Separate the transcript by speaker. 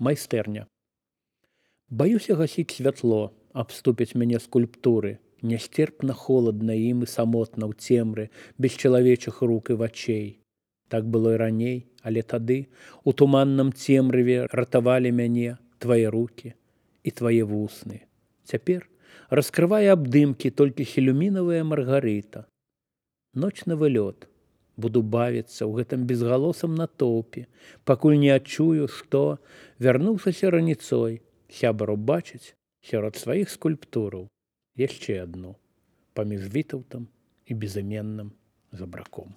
Speaker 1: Майстэрня. Баюся гасіць святло, абступяць мяне скульптуры. Нясцерпна холадна ім і самотна ў цемры, без чалавечых рук і вачэй. Так было і раней, але тады у туманным цемрыве ратавалі мяне твае рукі і твае вусны. Цяпер раскрывае абдымкі толькі хелюмінавая Маргарыта. Ночны вылёт. Буду бавіцца ў гэтым безгалосам натоўпе, пакуль не адчую, што вярнуўшыся раніцой, сябар убачыць сярод сваіх скульптураў яшчэ адну, паміж Вітаўтам і безыменным жабраком.